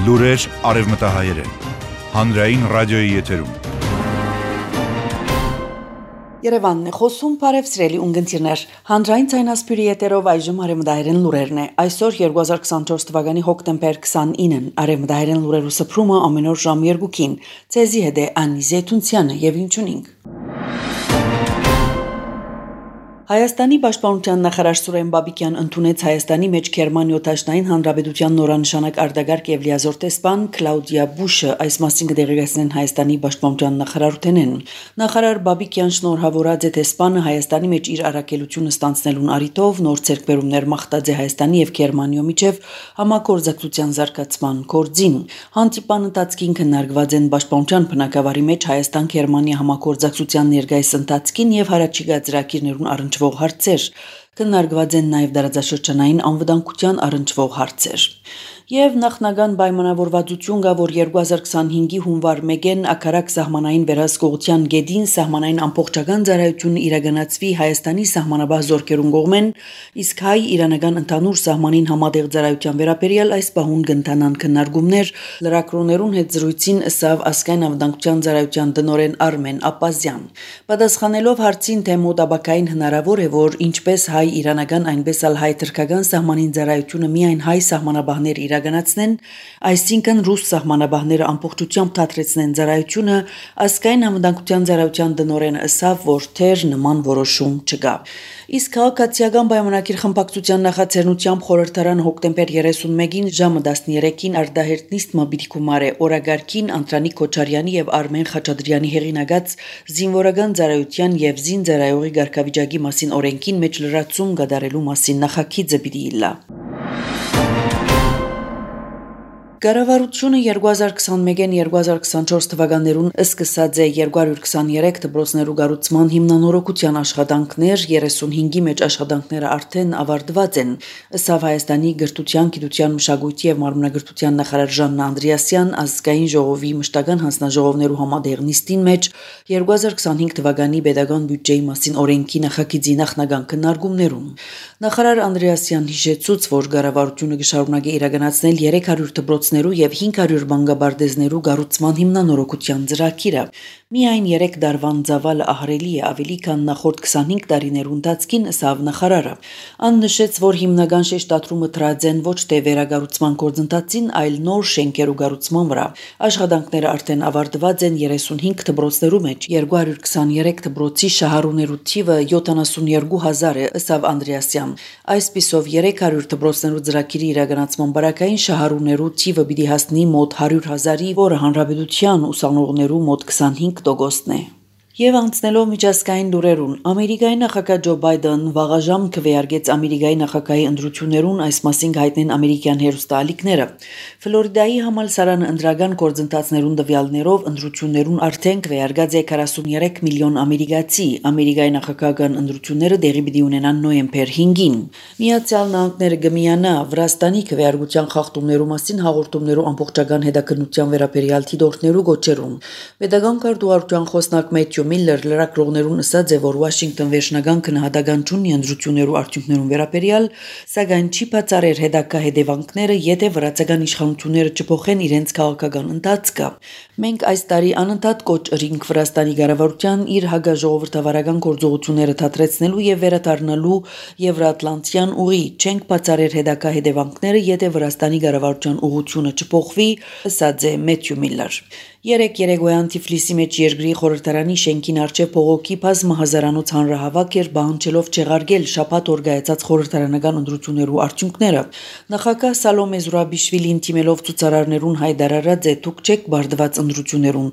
Լուրեր արևմտահայերեն, հանրային ռադիոյի եթերում։ Երևանն է խոսում, բարև սիրելի ունգընտիրներ, հանրային ցայնասպյուրի եթերով այժմ արևմտահայերեն լուրերն է։ Այսօր 2024 թվականի հոկտեմբեր 29-ին արևմտահայերեն լուրերու սփռումը ամեն օր ժամ 2-ին։ Ցեզի հետ է Անի Զեյթունցյանը եւ ինչունինք։ Հայաստանի պաշտպանության նախարար Սուրեն Բաբիկյան ընդունեց Հայաստանի մեջ Գերմանիա-Թաշնային Հանրապետության նորանշանակ արտագաղթ եւ լիազոր տեսփան Կլաուդիա Բուշը այս մասին կդեղեկացնեն Հայաստանի պաշտպանության նախարարութենեն։ Նախարար Բաբիկյան շնորհավորած է տեսփանը Հայաստանի մեջ իր առաքելությունը ստանցնելուն առիթով նոր ցերկբերումներ մաղթած է Հայաստանի եւ Գերմանիո միջև համագործակցության զարգացման գործին։ Հանդիպան ընթացքին քննարկված են պաշտպանության բնակավարի մեջ Հայաստան-Գերմանիա համագործակցության ներկայիս ընթացքին եւ հարաճիգա ծրագիրներուն առնչվող հարցեր, քննարկված են նաև դարաձաշրջանային անվտանգության առնչվող հարցեր։ Եվ նախնական պայմանավորվածություն կա, որ 2025-ի հունվար 1-ին ակարակ սահմանային վերահսկողության գեդին սահմանային ամբողջական ծառայությունը իրականացվի Հայաստանի սահմանաբար զորքերուն կողմեն, իսկ հայ-իրանական ընդհանուր սահմանին համատեղ ծառայության վերաբերյալ այս պահուն կընթանան քննարկումներ լրագրողներուն հետ զրույցին ըսավ ազգային անվտանգության ծառայության տնօրեն Արմեն Ապազյան։ Պատասխանելով հարցին, թե մոտաբակային հնարավոր է, որ ինչպես հայ-իրանական, այնպես էլ հայ-թուրքական սահմանին ծառայությունը միայն հայ սահմանաբահներ իրականացնեն, այսինքն ռուս սահմանաբահները ամբողջությամբ թատրեցնեն ծառայությունը, ազգային անվտանգության ծառայության տնօրենը ըսավ, որ թեր նման որոշում չկա։ Իսկ քաղաքացիական պայմանագիր խմբակցության նախաձեռնությամբ խորհրդարանը հոկտեմբեր 31-ին ժամը 13-ին արտահերտ նիստը պիտի գումարե օրագարկին Անդրանիկ Քոչարյանի եւ Արմեն Խաչատրյանի հեղինակած զինվորական ծառայության եւ զինծառայողի ղեկավարի մասին օրենքին մեջ լրացում կատարելու մասին նախագիծը պիտի իլա։ Կառավարությունը 2021-2024 թվականներուն սկսած է 223 դպրոցներու կառուցման հիմնանորոգության աշխատանքներ, 35-ի մեջ աշխատանքները արդեն ավարտված են, ըստ Հայաստանի գրթության, գիտության, մշակույթի եւ մարմնագրթության նախարար Ժաննա Անդրեասյան ազգային ժողովի մշտական հանձնաժողովներու համատեղ նիստին մեջ 2025 թվականի պետական բյուջեի մասին օրենքի նախագիծի նախնական քննարկումներում։ Նախարար Անդրեասյան հիշեցուց, որ կառավարությունը կշարունակի իրականացնել 300 դպրոցներու եւ 500 բանգաբարդեզներու կառուցման հիմնանորոգության ծրագիրը։ Միայն 3 դարվան ծավալը ահռելի է ավելի քան նախորդ 25 տարիներու ընթացքին ըստ նախարարը։ Ան նշեց, որ հիմնական շեշտադրումը դրած են ոչ թե վերակառուցման գործընթացին, այլ նոր շենքերու կառուցման վրա։ Աշխատանքները արդեն ավարտված են 35 դպրոցներու մեջ, 223 դպրոցի շահառուներու թիվը 72000 է, ըստ Անդրեասյան։ Այսպիսով 300 դպրոցներու ծրագիրի իրականացման բարակային շահառուներու թիվը պիտի հասնի մոտ 100,000-ի, որը հանրապետության ուսանողներու մոտ 25%-ն է։ Եվ անցնելով միջազգային լուրերուն, Ամերիկայի նախագահ Ջո Բայդեն վաղաժամ քվեարկեց Ամերիկայի նախագահի ընտրություններուն, այս մասին հայտնեն ամերիկյան հերոստալիքները։ Ֆլորիդայի համալսարանը ընդրական գործընթացներուն տվյալներով ընտրություններուն արդեն քվեարկած է 43 միլիոն ամերիկացի։ Ամերիկայի նախագահական ընտրությունները տեղի պիտի ունենան նոյեմբեր 5-ին։ Միացյալ Նահանգները կմիանա Վրաստանի քվեարկության խախտումներու մասին հաղորդումներու ամբողջական հետաքննության վերաբերյալ դիտորդներու գոչերուն։ Պետական կարգավորության խոսնակ Մեթյու Միլլեր լրագրողներուն ասաց է, որ Վաշինգտոն վերջնական քննադատական չունի ընտրություններու արդյունքներուն վերաբերյալ, սակայն չի բացառեր հետագա հետևանքները, եթե վրացական իշխանությունները չփոխեն իրենց քաղաքական ընթացքը։ Մենք այս տարի անընդհատ կոչ ըրինք Վրաստանի կառավարության իր հագաժողովրդավարական գործողությունները թատրեցնելու եւ վերադառնալու Եվրատլանտյան ուղի, չենք բացառեր հետագա հետևանքները, եթե Վրաստանի կառավարության ուղղությունը չփոխվի, ասաց է Մեթյու Միլլեր։ Երեկոյան Թիֆլիսի մեջ երկրի խորհրդարանի շենքին առջև փողոքի բազմահազարանոց հանրահավաք էր բանջելով չեղարկել շաբաթ օր կայացած խորհրդարանական ընտրություններու արդյունքները։ Նախագահ Սալոմե Զուրաբիշվիլին թիմելով ցուցարարներուն հայտարարած է՝ դուք չեք բարդված ընտրություններուն,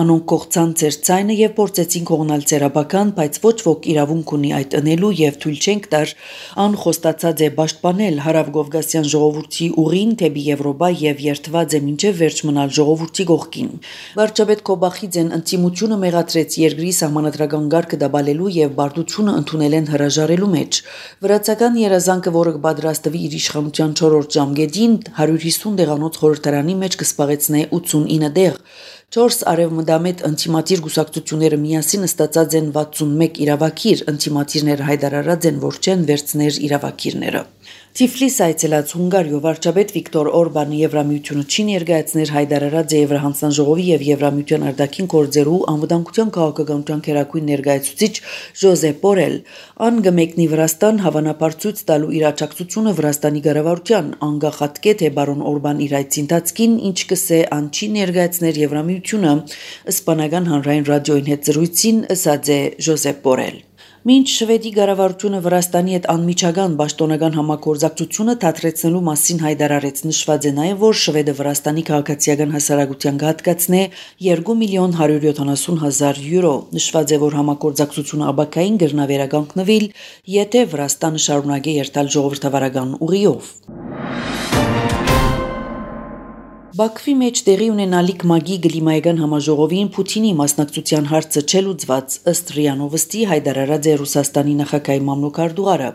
անոնք կողցան ծեր ցայնը եւ փորձեցին կողնալ ցերաբական, բայց ոչ ոք իրավունք ունի այդ ընելու եւ թույլ չենք տար, ան խոստացած է պաշտպանել հարավկովկասյան ժողովրդի ուղին թեպի Եվրոպա եւ երթված է մինչեւ վերջ մնալ ժողովրդի կողքին։ Վարչապետ Քոբախիձեն ընտիմությունը մեղադրեց երկրի սահմանադրական կարգը դաբալելու եւ բարդությունը ընդունել են հրաժարելու մեջ։ Վրացական երազանքը, որը կպատրաստվի իր իշխանության 4-րդ ժամկետին 150 դեղանոց խորհրդարանի մեջ կսպաղեցնե 89 դեղ, 4 արևմտամետ ընտիմատիր գուսակցությունները միասին ստացած են 61 իրավակիր, ընտիմատիրները հայտարարած են, որ չեն վերցներ իրավակիրները։ Թիֆլիս այցելած Հունգարիո վարչապետ Վիկտոր Օրբանը Եվրամիությունը չի ներկայացներ հայտարարած Եվրահանձնաժողովի եւ Եվրամիության արտաքին գործերու անվտանգության քաղաքականության քերակույն ներկայացուցիչ Ժոզեփ Բորել ան գմեկնի Վրաստան հավանաբար ցույց տալու իր աջակցությունը Վրաստանի կառավարության անգախատկե թե բարոն Օրբան իր այցի ընթացքին ինչ կսե ան չի ներկայացներ Եվրամիությունը իսպանական հանրային ռադիոյին հետ զրույցին ըսած է Ժոզեփ Բորել Մինչ Շվեդի կառավարությունը Վրաստանի հետ անմիջական պաշտոնական համագործակցությունը թատրեցնելու մասին հայտարարեց նշված է նաև որ Շվեդը Վրաստանի քաղաքացիական հասարակության կհատկացնե 2.170.000 եվրո նշված է որ համագործակցությունը աբակային գրնավերականգնվել եթե Վրաստանը շարունակի երթալ ժողովրդավարական ուղիով Բաքվի մեջ տեղի ունենալիք ՄԱԳ-ի գլիմայական համաժողովին Պուտինի մասնակցության հարցը չելուծված ըստ ՌԻԱ Նովոստի հայտարարած է Ռուսաստանի նախագահի մամլոքարդուղարը։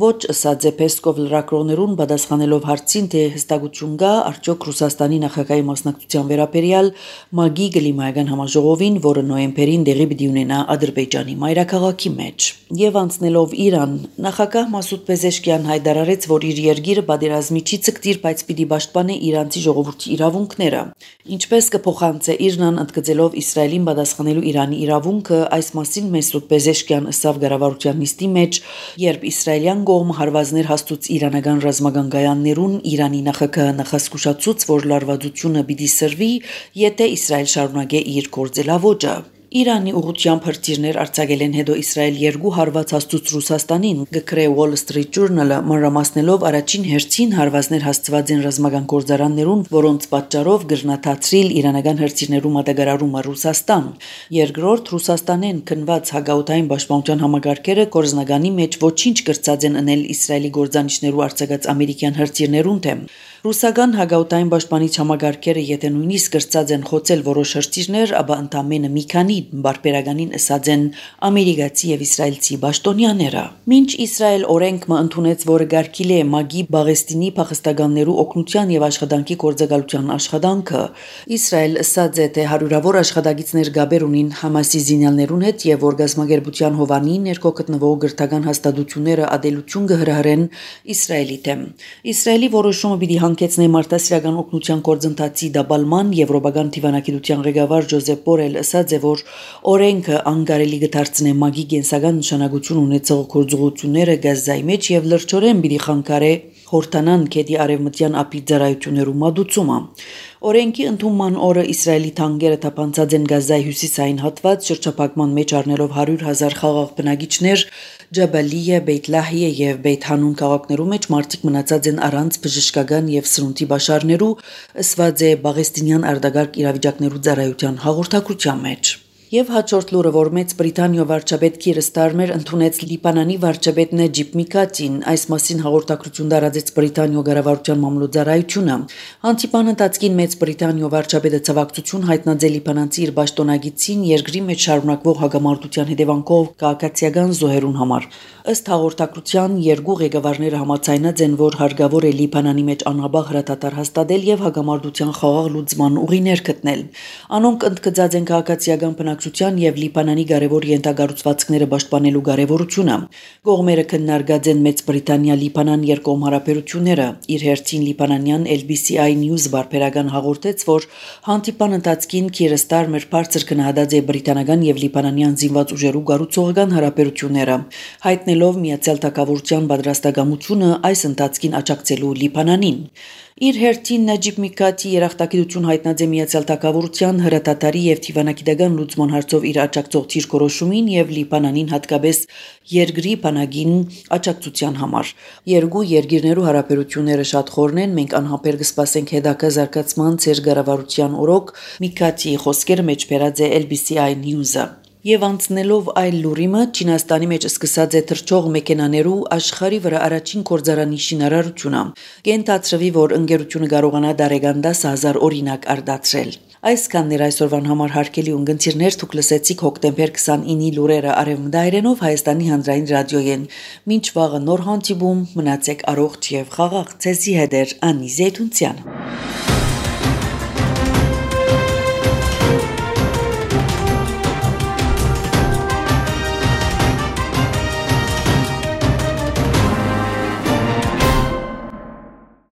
Ոչ ըսած է Պեսկով լրագրողներուն պատասխանելով հարցին թե հստակություն կա արդյոք Ռուսաստանի նախագահի մասնակցության վերաբերյալ ՄԱԳ-ի գլիմայական համաժողովին, որը նոյեմբերին տեղի պիտի ունենա Ադրբեջանի մայրաքաղաքի մեջ։ Եվ անցնելով Իրան, նախագահ Մասուդ Պեզեշկյան հայտարարեց, որ իր երկիրը պատերազմի չի ցկտիր, բայց պիտի պաշտպանի իրանցի ժողովրդի իրավունքները։ Ինչպես կփոխանցե Իրնան ընդգծելով Իսրայելին պատասխանելու Իրանի իրավունքը, այս մասին Մասուդ Պեզեշկյան ըսավ կառավարության նիստի մեջ, երբ իսրայելյան կողմը հարվածներ հաստուց իրանական ռազմական գայաններուն, Իրանի նախագահը նախասկուշացուց, որ լարվածությունը պիտի սրվի, եթե Իսրայել շարունակե իր գործելավոճը։ Իրանի ուղղությամբ հրթիռներ արձակել են հետո Իսրայել 2 հարված հաստուց Ռուսաստանին, գկրե Wall Street Journal-ը մանրամասնելով առաջին հերթին հարվածներ հասցված են ռազմական գործարաններուն, որոնց պատճառով գրնաթացրիլ իրանական հրթիռներու մատակարարումը Ռուսաստան։ Երկրորդ Ռուսաստանեն քնված հագաուտային պաշտպանության համագարկերը կորզնականի մեջ ոչինչ կրծած են ընել Իսրայելի գործանիչներու արձակած ամերիկյան հրթիռներուն թեմ։ Ռուսական հագաուտային պաշտպանիչ համագարկերը եթե նույնիսկ կրծած են խոցել որոշ հրթիռներ, ապա ընդամենը մի քանի բարբերականին ըսած են ամերիկացի եւ իսրայելցի պաշտոնյաները։ Մինչ Իսրայել օրենք մը ընդունեց, որը գարկիլ է ՄԱԳ-ի Բաղեստինի փախստականներու օգնության եւ աշխատանքի գործակալության աշխատանքը, Իսրայել ըսած է թե հարյուրավոր աշխատակիցներ գաբեր ունին Համասի զինյալներուն հետ եւ որ գազագերբության հովանի ներքո գտնվող գրթական հաստատությունները ադելություն կհրահրեն Իսրայելի դեմ։ Իսրայելի որոշումը պիտի հանգեցնե մարդասիրական օգնության գործընթացի դաբալման եվրոպական դիվանագիտության ղեկավար Ժոզեփ Բորել ըսած է որ օրենքը անկարելի կդարձնե ՄԱԳ-ի կենսական նշանակություն ունեցող գործողությունները Գազայի մեջ եւ լրջորեն պիտի խանգարե Հորտանան քեդի արևմտյան ափի ծառայություններու մատուցումը։ Օրենքի ընդունման օրը Իսրայելի թանկերը թափանցած են Գազայի հյուսիսային հատված շրջափակման մեջ առնելով 100,000 խաղաղ բնակիչներ Ջաբալիա, Բեյթ Լահիա եւ Բեյթ Հանուն քաղաքներու մեջ մարդիկ մնացած են առանց բժշկական եւ սրունտի բաշարներու ըսված է Բաղեստինյան արտագարկ իրավիճակներու ծառայության հաղորդակցության մեջ։ Եվ հաջորդ լուրը, որ Մեծ Բրիտանիա վարչապետ Քիր Ստարմեր ընդունեց Լիբանանի վարչապետ Նաջիբ Միկատին, այս մասին հաղորդակցություն տարածեց Բրիտանիա կառավարության մամլոյցարայությունը։ Հանդիպան ընթացքին Մեծ Բրիտանիա վարչապետը ցավակցություն հայտնած է լիբանանցի իր պաշտոնագիտին երկրի մեջ շարունակվող հագամարտության հետևանքով քաղաքացիական զոհերուն համար։ Ըստ հաղորդակցության երկու ղեկավարները համաձայնած են, որ հարկավոր է Լիբանանի մեջ անհաբաղ հրատատար հաստատել եւ հագամարտության խաղաղ լուծման ուղիներ գտնել։ Անոնք ընդգծած են քաղաքացիական բնակչության եւ Լիբանանի կարևոր ենթագառուցվածքները պաշտպանելու կարևորությունը։ Կողմերը քննարկած են Մեծ Բրիտանիա-Լիբանան երկկողմ հարաբերությունները։ Իր հերթին լիբանանյան LBCI News բարբերական հաղորդեց, որ հանդիպան ընթացքին Քիր Ստարմեր բարձր գնահատած է բրիտանական եւ լիբանանյան զինված ուժերու կառուցողական հարաբերությունները, հայտնելով Միացյալ Թագավորության պատրաստակամությունը այս ընթացքին աջակցելու Լիբանանին։ Իր հերթին Նաջիբ Միկատի երախտագիտություն հայտնած է Միացյալ Թագավորության հրատատարի եւ դիվանագիտական լուծման հարցով իր աջակցող թիրքորոշումին եւ Լիբանանին հատկապես երկրի բանակին աջակցության համար։ Երկու երկիրներու հարաբերությունները շատ խորն են, մենք անհապեր կսպասենք հետագա զարգացման ծեր կառավարության օրոք, Միկատի խոսքերը մեջ բերած է LBCI News-ը։ Եվ անցնելով այլ լուրիմը, Չինաստանի մեջ սկսած է թռչող մեքենաներու աշխարհի վրա առաջին գործարանի շինարարությունը։ Կենթացրվի, որ ընկերությունը կարողանա դարեգան 10,000 օրինակ արդացրել։ Այսքաններ այսօրվան համար հարգելի ունգընտիրներ, դուք լսեցիք հոկտեմբեր 29-ի լուրերը արևմտայերենով Հայաստանի հանրային ռադիոյեն։ Մինչ վաղը նոր հանդիպում, մնացեք առողջ եւ խաղաղ, ցեզի հետ Անի Զեյթունցյան։